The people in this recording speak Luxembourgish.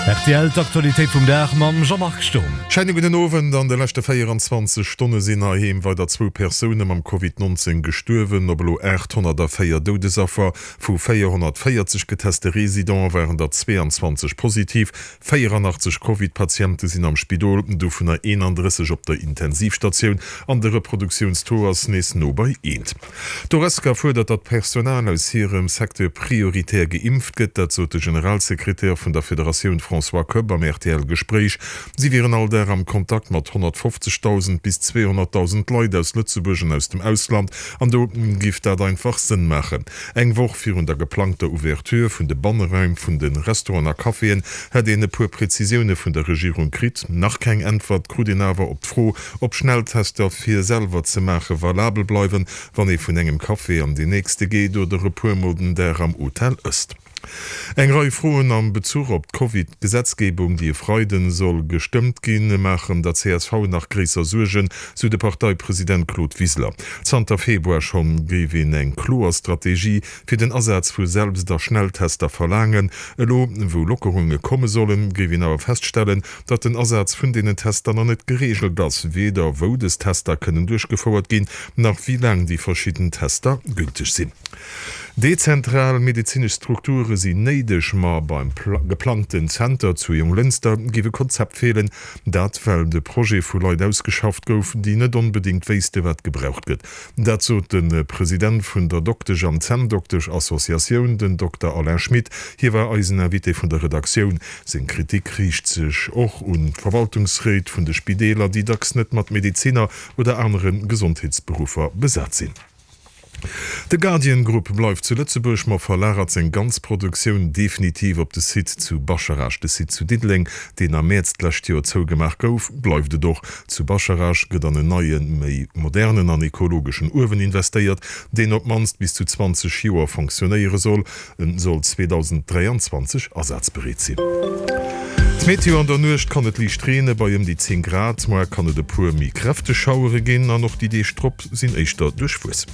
Rtl, D'Aktualitéit vum Dag mam Jean-Marc Sturm. Scheine gudden Owend. An de leschte 24 Stonne sinn heiheem weider zwou Persoune mam Covid 19 gestuerwen. Op elo 804 Doudesaffer vu 440 geteste Residente waren der 22 positiv. 84 Covid-Patiente sinn am Spidol, dovunner 31 op der Intensivstatioun an de Reproduktiounstaux ass nees no bei eent. D'Horesca fuerdert, datt d'Personal aus hirem Secteur prioritär geimpft gëtt. Dat sot de Generalsekretär vun der Federatioun François Koepp am RTL-Gespréich. Si wieren all Dag am Kontakt mat 150.000 bis 200.000 Leit aus Lëtzebuerg an aus dem Ausland an do giff dat einfach Sënn maachen. Eng Woch virun der geplangter Ouverture vun de Banneraim vun de Restauranten a Caféen hätt een e puer Prezisioune vun der Regierung kritt. Nach keng Äntwert krut een awer op d'Fro, Ob Schnelltester fir selwer ze maache valabel bleiwen, wann ee vun engem Café an deen nächste geet oder e puer mol den Dag am Hotel ësst. Eng Rei Froen am Bezuch op d'Covid-Gesetzgebung, déi e Freiden soll gestëmmt ginn, maachen der csv nach gréisser Suergen, sou de Parteipresident Claude Wiseler. Zanter Februar schonn géif een eng kloer Strategie fir den Asaz vu Selbst a Schnelltester verlaangen. Elo wou Lockerunge komme sollen, géif een awer feststellen, datt den Asaz vun deenen Tester nach net gereegelt ass, weder wou des Tester kënnen duerchgefouert ginn, nach wéi laang déi verschidden Tester gülteg sinn. Dezentral medezinesch Strukture sinn néideg, ma beim geplangten Zenter zu Jonglënster géif e Konzept feelen. Dat well de Projet vu Leit ausgeschafft gouf, déi net onbedéngt wéisste wat gebraucht gëtt. Dat sot de President vun der Doktesch an Zänndoktesch-Associatioun, den Dokter Alain Schmit. Hie war eisen Invité vun der Redaktioun. Seng Kritik riicht sech och un d'Verwaltungsréit vun de Spideeler, déi dacks net mat Medeziner oder anere Gesondheetsberuffer besat sinn. De Guardian Group bleift zu Lëtzebuerg, ma verlagert seng ganz Produktioun definitiv op de Site zu Bascharage. De Site zu Diddeleng, deen am Mäerz d'lescht Joer zougemaach gouf, bleift et och. Zu Bascharage gëtt an en neien, méi modernen an ekologeschen Uewen investéiert, deen op d'mannst bis zu 20 Joer fonctionnéiere soll. En soll 2023 asazbereet sinn. D'Meteo, An der Nuecht kann et liicht reene bei ëm déi 10 Grad. Moar kann et e puer méi kräfteg Schauere ginn an och déi Deeg drop sinn éischter duerchwuess.